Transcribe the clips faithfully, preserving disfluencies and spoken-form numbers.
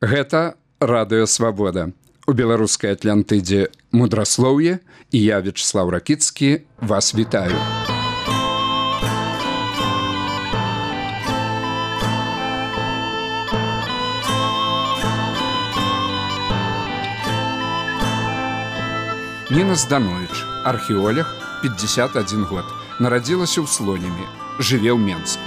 Гэта радыё Свабода. У беларускай Атлантыдзе мудраслоўе, і я, Вячеслав Ракіцкі, вас вітаю. Ніна Зданович, археолог, пятьдесят один год, нарадзілася ў Слонімі, жыве ў Менску.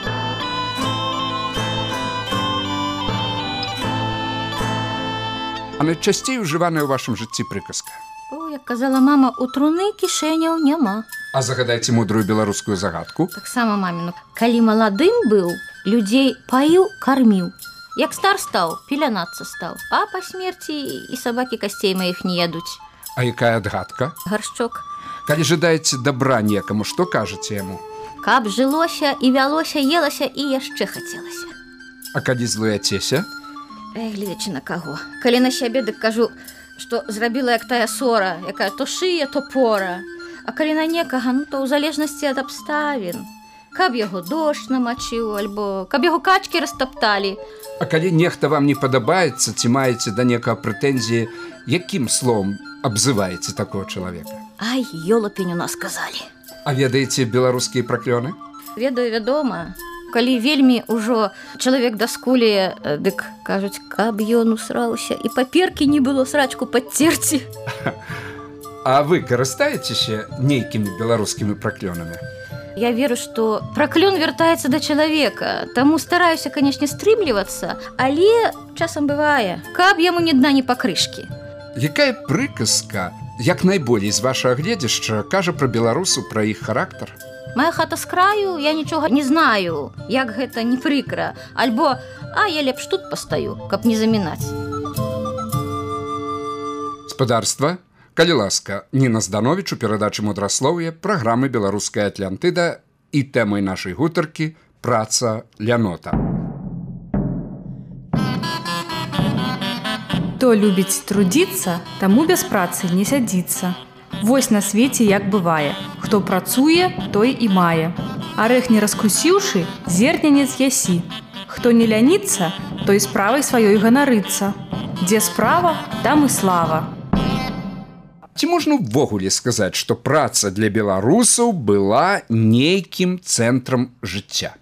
А найчасцей ужываная ў вашым жыцці прыказка? О, як казала мама, у труны кішэняў няма. А загадайце мудрую беларускую загадку. Таксама маміну. Калі маладым быў, людзей паіў, карміў. Як стар стаў, пелянацца стаў. А па смерці і сабакі касцей маіх не ядуць. А якая адгадка? Гаршчок. Калі жадаеце дабра некаму, што кажаце яму? Каб жылося і вялося, елася і яшчэ хацелася. А калі злуяцеся? Эх, гледзячы на каго. Калі на сябе, дык кажу, што зрабіла як тая сора, якая то шые, то пора. А калі на некага, ну то ў залежнасці ад абставін. Каб яго дождж намачыў, альбо каб яго качкі растапталі. А калі нехта вам не падабаецца, ці маеце да некага прэтэнзіі, якім словом абзываеце такого чалавека? Ай, ёлапень у нас казалі. А ведаеце беларускія праклёны? Ведаю, вядома. Калі вельмі ўжо чалавек даскулее, дык кажуць, каб ён усраўся і паперкі не было срачку падцерці. А вы карыстаецеся нейкімі беларускімі праклёнамі? Я веру, што праклён вяртаецца да чалавека, таму стараюся, канешне, стрымлівацца, але часам бывае, каб яму ні дна, ні пакрышкі. Якая прыказка, як найболей з вашага гледзяшча, кажа пра беларусаў, пра іх характар? Моя хата з краю, я нічога не знаю, як гэта не прыкра. Альбо, а я лепш тут пастаю, каб не замінаць. Спадарства, калі ласка, Ніна Зданович у перадачы мудраслоўе праграмы «Беларуская Атлантыда» і тэмай нашай гутаркі «Праца лянота». Хто любіць трудіцца, таму без працы не сядзіцца. Вось на свеце як бывае. Хто працуе, той і мае. Арэх не раскусіўшы, зерня не з'ясі. Хто не ляніцца, той справай сваёй ганарыцца. Дзе справа, там і слава. Ці можна ўвогуле сказаць, што праца для беларусаў была нейкім цэнтрам жыцця?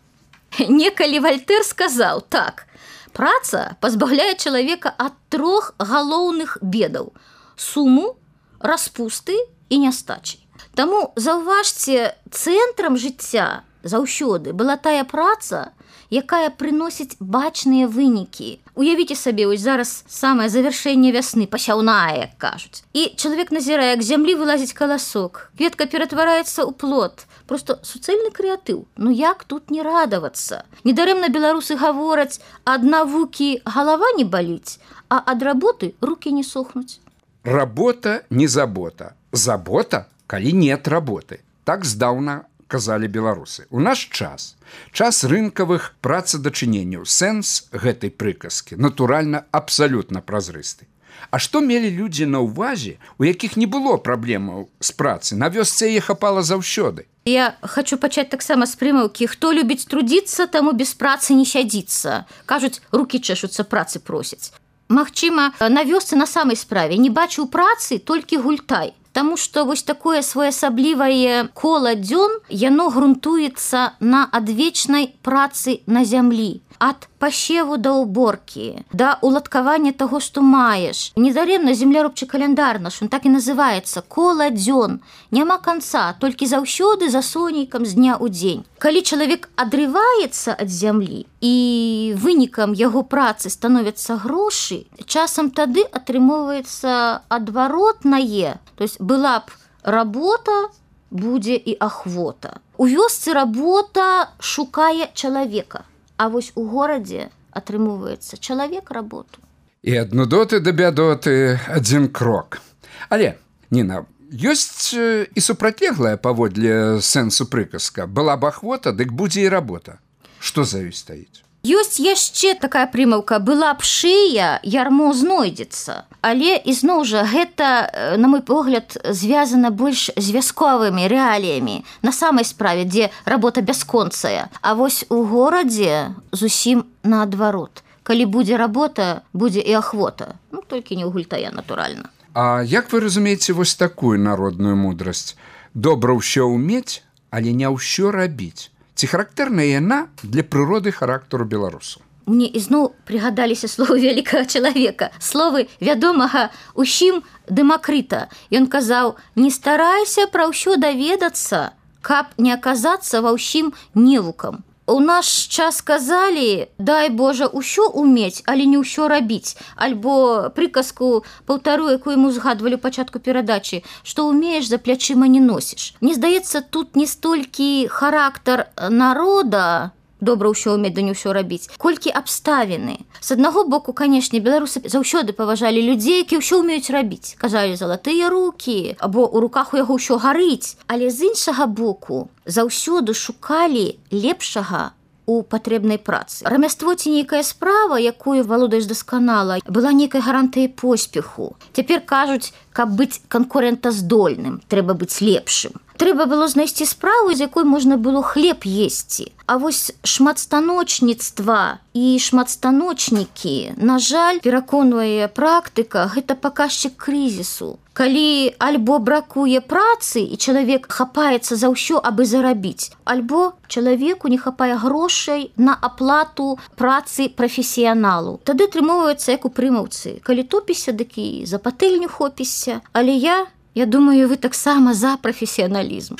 Некалі Вальтэр сказаў так. Праца пазбаўляе чалавека ад трох галоўных бедаў: суму, распусты і нястачы. Таму, заўважце, цэнтрам жыцця заўсёды была тая праца, якая прыносіць бачныя вынікі. Уявіце сабе, ось зараз самае завяршэнне вясны, пасяўная, як кажуць. І чалавек назірае, як з зямлі вылазіць каласок, кветка ператвараецца ў плод. Просто суцэльны крэатыў. Ну як тут не радавацца? Недарэмна беларусы гавораць, ад навукі галава не баліць, а ад работы рукі не сохнуць. Работа не забота. Забота, калі нет работы. Так здаўна казалі беларусы. У наш час, час рынкавых працадачыненняў, сэнс гэтай прыказкі, натуральна, абсалютна празрысты. А што мелі людзі на ўвазе, у якіх не было праблемаў з працы? На вёсцы яе хапала заўсёды. Я хочу пачаць таксама з прымаўкі: хто любіць трудіцца, таму без працы не сядзіцца. Кажуць, рукі чэшуцца, працы просяць. Магчыма, на вёсцы на самай справе не бачыў працы толькі гультай. Таму што вось такое своеасаблівае кола дзён, яно грунтуецца на адвечнай працы на зямлі. Ад пасеву да ўборкі, да уладкавання таго, што маеш. Недарэмна земляробчы каляндар наш, он так і называецца кола дзён. Няма канца, толькі заўсёды за сонейкам з дня ў дзень. Калі чалавек адрываецца ад зямлі і вынікам яго працы становяцца грошы, часам тады атрымоўваецца адваротнае. То есть была б работа, будзе і ахвота. У вёсцы работа шукае чалавека. А вось у горадзе атрымоўваецца чалавек работу. І ад нудоты да бядоты адзін крок. Але, Ніна, ёсць і супрацьлеглая паводле сэнсу прыказка. Была б ахвота, дык будзе і работа. Што за ёй стаіць? Ёсць яшчэ такая прымаўка: была б шыя, ярмо знойдзецца. Але, ізноў жа, гэта, на мой погляд, звязана больш з вясковымі рэаліямі, на самай справе, дзе работа бясконцая. А вось у горадзе зусім наадварот. калі будзе работа, будзе і ахвота. Ну, толькі не ў гультая, натуральна. А як вы разумееце вось такую народную мудрасць? Добра ўсё ўмець, але не ўсё рабіць. Ці характэрная яна для прыроды характару беларусаў? Мне ізноў прыгадаліся словы вялікага чалавека, словы вядомага ўсім Дэмакрыта. Ён казаў: «Не старайся пра ўсё даведацца, каб не аказацца ва ўсім невукам». У наш час казалі: «Дай Божа ўсё умець, але не ўсё рабіць». Альбо прыказку, паўтару, якую мы узгадвалі ў пачатку перадачы, што ўмееш, за плячыма не носіш. Мне здаецца, тут не столькі характар народа, добра ўсё ўмець, да не ўсё рабіць, колькі абставіны. З аднаго боку, канешне, беларусы заўсёды паважалі людзей, які ўсё ўмеюць рабіць. Казалі: «Залатыя рукі», або «У руках у яго ўсё гарыць». Але з іншага боку, заўсёды шукалі лепшага у патрэбнай працы. Рамяство ці нейкая справа, якую валодаеш дасканала, была нейкай гарантыяй поспеху. Цяпер кажуць, каб быць канкурэнтаздольным, трэба быць лепшым. Трэба было знайсці справу, з якой можна было хлеб есці. А вось шматстаночніцтва і шматстаночнікі, на жаль, пераконвае практыка, гэта паказчык крызісу. Калі альбо бракуе працы, і чалавек хапаецца за ўсё, абы зарабіць, альбо чалавеку не хапае грошай на аплату працы прафесіяналу. Тады атрымоўваецца як у прымаўцы. Калі топіся, дык і за патэльню хопішся. Але я, я думаю, вы таксама за прафесіяналізм.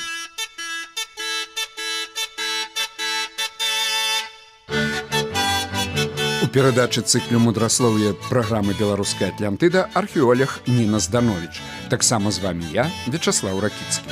У перадачы цыклю мудраслоўя праграмы «Беларуская Атлантыда» археолог Ніна Зданович. Таксама з вами я, Вячаслаў Ракіцкі.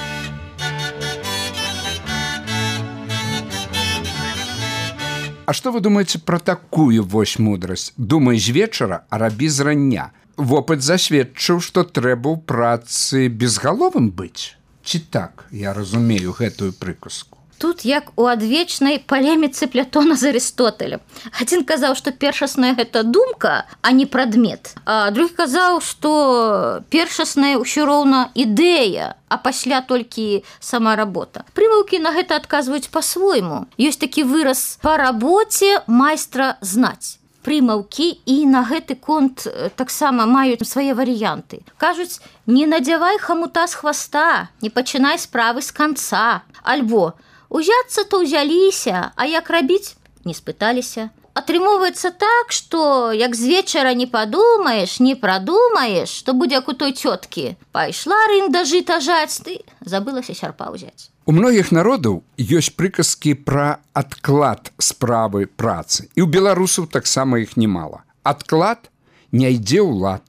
А што вы думаеце пра такую вось мудрасць? Думай з вечара, а рабі з рання. Вопыт засведчыў, што трэба ў працы безгаловым быць. Ці так я разумею гэтую прыказку? Тут як у адвечнай палеміцы Плятона з Арыстотэлем. Адзін казаў, што першасная гэта думка, а не прадмет. А другі казаў, што першасная ўсё роўна ідэя, а пасля толькі сама работа. Прымаўкі на гэта адказваюць па-свойму. Ёсць такі выраз: «Па рабоце майстра знаць». Прымаўкі і на гэты конт таксама маюць свае варыянты. Кажуць: «Не надзявай хамута з хваста, не пачынай справы з канца». Альбо: «Узяцца то ўзяліся, а як рабіць, не спыталіся». Атрымоўваецца так, што як з вечара не падумаеш, не прадумаеш, што будзе як у той цёткі. Пайшла рында жыта жаць, ты забылася сярпа ўзяць. У многіх народаў ёсць прыказкі пра адклад справы працы. І ў беларусаў таксама іх немала. Адклад не ідзе ў лад.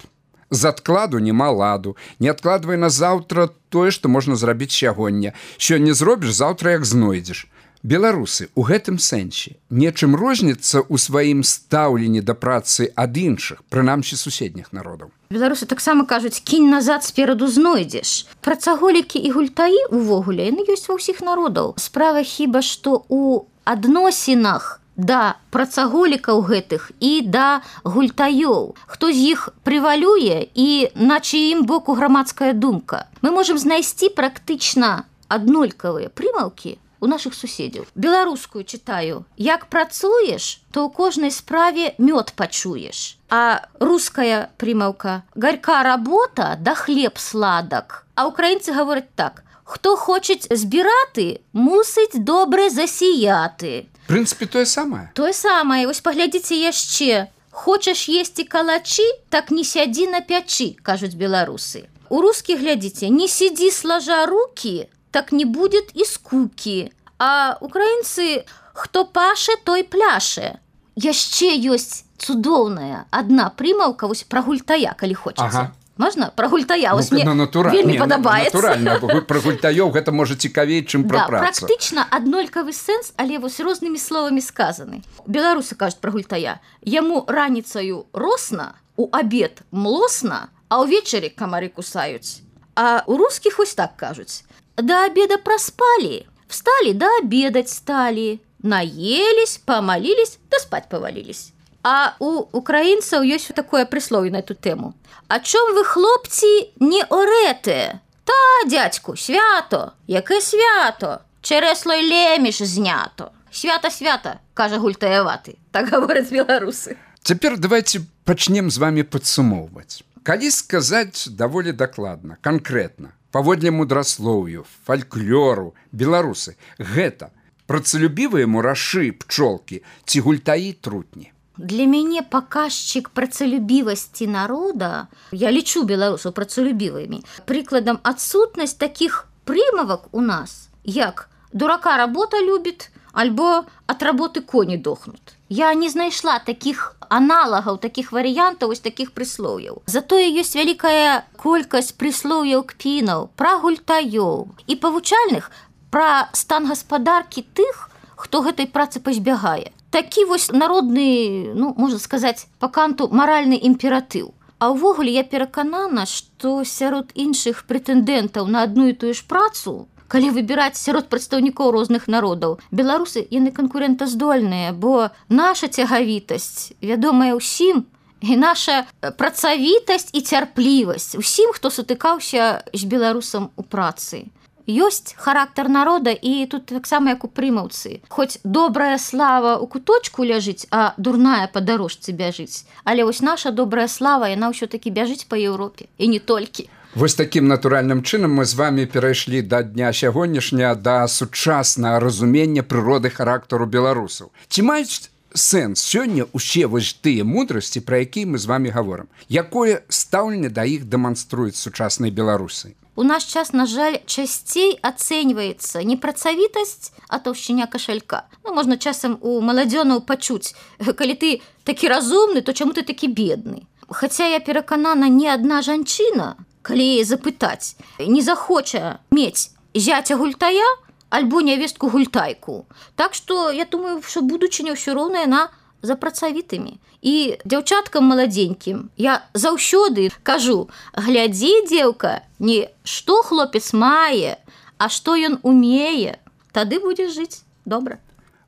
З адкладу няма ладу. Не адкладвай на заўтра тое, што можна зрабіць сягоння. Сёння зробіш, заўтра як знойдзеш. Беларусы ў гэтым сэнсе нечым розніцца ў сваім стаўленні да працы ад іншых, прынамсі суседніх народаў. Беларусы таксама кажуць: «Кінь назад, спераду знойдзеш». Працаголікі і гультаі увогуле яны ёсць ва ўсіх народаў. Справа хіба што ў адносінах да працаголікаў гэтых і да гультаёў. Хто з іх прывалюе і на чыім боку грамадская думка. Мы можам знайсці практычна аднолькавыя прымаўкі у нашых суседзяў. Беларускую чытаю: «Як працуеш, то ў кожнай справе мёд пачуеш». А руская прымаўка: «Гарька работа, да хлеб сладак». А украінцы гавораць так: «Хто хочець збіраты, мусіць добре засіяты». В прынцыпе, тое самае. Тое самае. Вось паглядзіце яшчэ: «Хочаш есці калачы, так не сядзі на пячы», кажуць беларусы. У рускіх, глядзіце: «Не сидзі слажа рукі, так не будет і скукі». А украінцы: «Хто паше, той пляше». Яшчэ ёсць цудоўная адна прымаўка вось пра гультая, калі хочаце. Ага. Можна? Пра гультая, вось ну, мне ну, вельмі не, падабаецца. Натуральна, пра гультаёў гэта можа цікавей, чым пра да, працу. Практычна аднолькавы сэнс, але вось рознымі словамі сказаны. Беларусы кажуць пра гультая: «Яму раніцаю росна, у абед млосна, а ўвечары камары кусаюць». А у рускіх вось так кажуць: «До обеда проспали, встали, да обедать стали, наелись, помолились, да спать повалились». А у украінцаў ёсць такое прыслоўе на эту тэму: «А чом вы, хлопці, не орете? Та, дядьку, свято, яке свято? Чересло й леміш знято». Свята-свята, кажа гультаяваты. Так гавораць беларусы. Цяпер давайте пачнем з вами падсумоўваць. Калі сказаць даволі дакладна, канкрэтна, паводле мудраслоўю, фальклору, беларусы, гэта працалюбівыя мурашы, пчолкі ці гультаі, трутні? Для мяне паказчык працалюбівасці народа, я лічу беларусаў працалюбівымі, прыкладам адсутнасць такіх прымавак у нас, як дурака работа любіць, альбо ад работы коні дохнут. Я не знайшла такіх аналагаў, такіх варыянтаў, вось такіх прыслоўяў. Затое ёсць вялікая колькасць прыслоўяў кпінаў, пра гультаёў і павучальных пра стан гаспадаркі тых, хто гэтай працы пазбягае. Такі вось народны, ну, можна сказаць, па канту маральны імператыў. А ўвогуле я пераканана, што сярод іншых прэтэндэнтаў на адну і тую ж працу, калі выбіраць сярод прадстаўнікоў розных народаў, беларусы, яны канкурэнтаздольныя, бо наша цягавітасць вядомая ўсім, і наша працавітасць і цярплівасць усім, хто сутыкаўся з беларусам у працы. Ёсць характар народа, і тут таксама як у прымаўцы. Хоць добрая слава ў куточку ляжыць, а дурная па дарожцы бяжыць. Але вось наша добрая слава, яна ўсё-такі бяжыць па Еўропе, і не толькі. Вось такім натуральным чынам мы з вами перайшлі да дня сягонняшняга да сучаснага разумення прыроды характару беларусаў. Ці маюць сэнс сёння усе вось тыя мудрасці, пра якія мы з вами гаворым? Якое стаўленне да іх дэманструюць сучасныя беларусы? У наш час, на жаль, часцей ацэньваецца не працавітасць, а таўшчыня кашалька. Ну, можна часам у маладзёнаў пачуць, калі ты такі разумны, то чаму ты такі бедны? Хаця я пераканана, ні адна жанчына, калі яе запытаць, не захоча мець зяця гультая альбо нявестку гультайку. Так што я думаю, што будучыня ўсё роўна яна за працавітымі. І дзяўчаткам маладзенькім я заўсёды кажу: глядзі, дзеўка, не што хлопец мае, а што ён умее, тады будзеш жыць добра.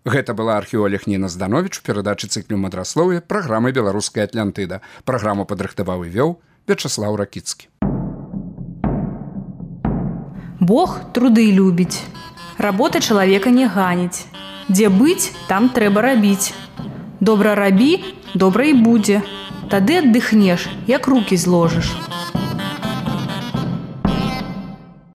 Гэта была археолог Ніна Здановіч у перадачы цыклю мудраслоўя праграмы «Беларуская Атлантыда». Праграму падрыхтаваў і вёў Вячаслаў Ракіцкі. Бог труды любіць. Работа чалавека не ганіць. Дзе быць, там трэба рабіць. Добра рабі, добра і будзе. Тады аддыхнеш, як рукі зложыш.